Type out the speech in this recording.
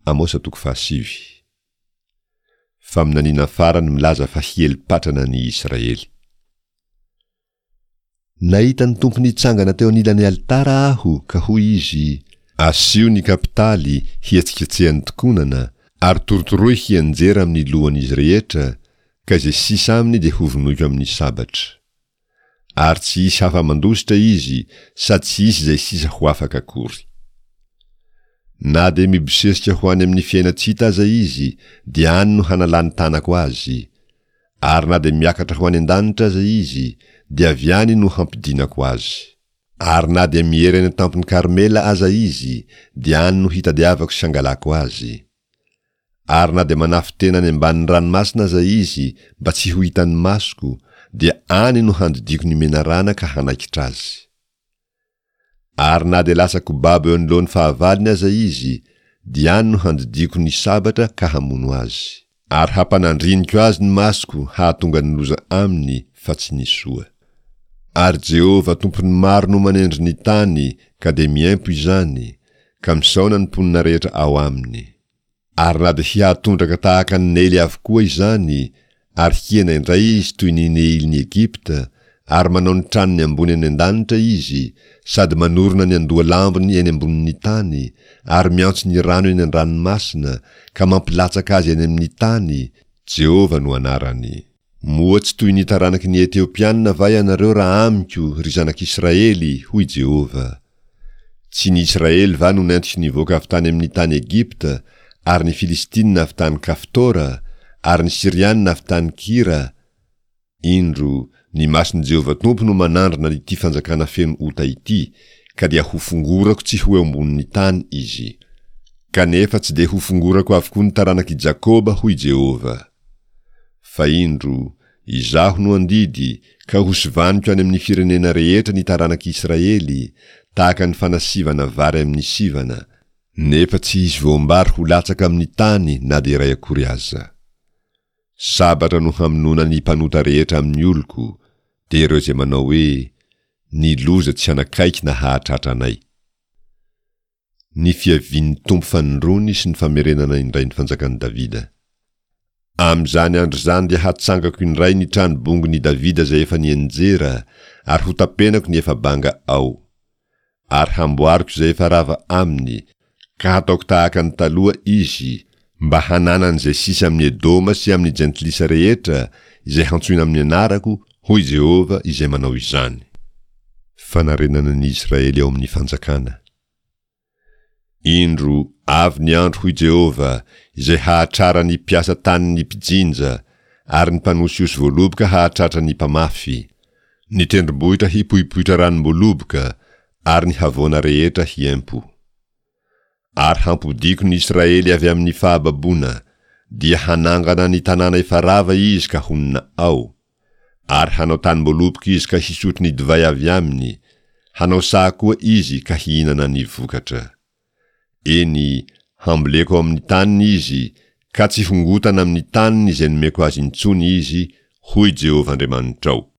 Amosa toko fahasivy. Faminaniana farany milaza fa hiely patrana ny Israely. Nahita ny Tompo nitsangana teo anilan'ny alitara aho, ka hoy Izy, Asio ny kapitaly hihetsiketsehan'ny tokonana, ary torotoroy hianjera amin'ny lohan'izy rehetra, ka izay sisa aminy dia hovonoiko amin'ny sabatra. Ary tsy hisy hafa mandositra izy, sady tsy hisy izay sisa ho afaka akory. Na dia mibosesika ho any amin'ny fiainan-tsy hita aza izy, dia any no hanalan'ny tanako azy. Ary na dia miakatra ho any an-danitra aza izy, dia avy any no hampidinako azy. Ary na dia miery any an-tampon'i Karmela aza izy, dia any no hitadiavako sy hangalako azy. Ary na dia manafin-tena any ambanin'ny ranomasina aza izy mba tsy ho hitan'ny masoko, dia any no handidiako ny menarana ka hanaikitra azy. Ary na dia lasa kobabo eo anoloan'ny fahavalony aza izy, dia any no handidiako ny sabatra ka hamono azy. Ary hampanandriniko azy ny masoko hahatonga ny loza aminy fa tsy ny soa. Ary Jehovah Tompon'ny maro no manendry ny tany ka dia miempo izany, ka misaona ny mponina rehetra ao aminy. Ary na dia hihatondraka tahaka ny Neily avokoa izany, ary hihena indray izy toy ny Neilin'i Egypta, ary manao ny tranony ambony any an-danitra izy, sady manorina ny andohalambony eny ambonin'ny tany, ary miantso ny rano eny an-dranomasina, ka mampilatsaka azy any amin'ny tany, Jehovah no anarany. Moa tsy toy ny taranaky ny Etiopiana va ianareo raha amiko, ry zanak'Israely? hoy Jehovah. Tsy ny Israely va no nentiko nivoaka avy tany amin'ny tany Egypta, ary ny Filistina avy tany Kaftora, ary ny Syriana avy tany Kira? Indro, ny mason'i Jehovah Tompo no manandrana ity fanjakana feno ota ity, ka dia hofongorako tsy ho eo ambonin'ny tany izy. Kanefa tsy dia hofongorako avokoa ny taranak'i Jakoba, hoy Jehovah. Fa indro, Izaho no handidy, ka hosivaniko any amin'ny firenena rehetra ny taranak'i Israely, tahaka ny fanasivana vary amin'ny sivana, nefa tsy hisy voam-bary ho latsaka amin'ny tany na dia iray akory aza. Sabatra no hamonoana ny mpanota rehetra amin'ny oloko, dia ireo izay manao hoe, Ny loza tsy hanakaiky na hahatratra anay. Ny fiavian'ny Tompo fanindroany sy ny famerenana indray ny fanjakan'i Davida. Amin'izany andro izany dia hatsangako indray ny trano bongon'i Davida izay efa nianjera, ary hotapenako ny efa banga ao. Ary hamboariko izay efa rava aminy, ka hataoko tahaka ny taloha izy, mba hananan'izay sisa amin'i Edoma sy amin'ny jentilisa rehetra izay hantsoina amin'ny anarako, hoy Jehovah izay manao izany. Fanarenana ny Israely ao amin'ny fanjakana. Indro, avy ny andro, hoy Jehovah, izay hahatrara ny mpiasa tany ny mpijinja, ary ny mpanosihosy voaloboka hahatratra ny mpamafy, ny tendrombohitra hipoipoitra ranom-boaloboka, ary ny havoana rehetra hiempo. Ary hampodiako ny Israely avy amin'ny fahababoana, dia hanangana ny tanàna efa rava izy ka honina ao, ary hanao tanim-boaloboka izy ka hisotro ny divay avy aminy, hanao saha koa izy ka hihinana ny vokatra. Eny, hamboleko ao amin'ny taniny izy, ka tsy hongotana amin'ny taniny izay nomeko azy intsony izy, hoy Jehovah Andriamanitrao.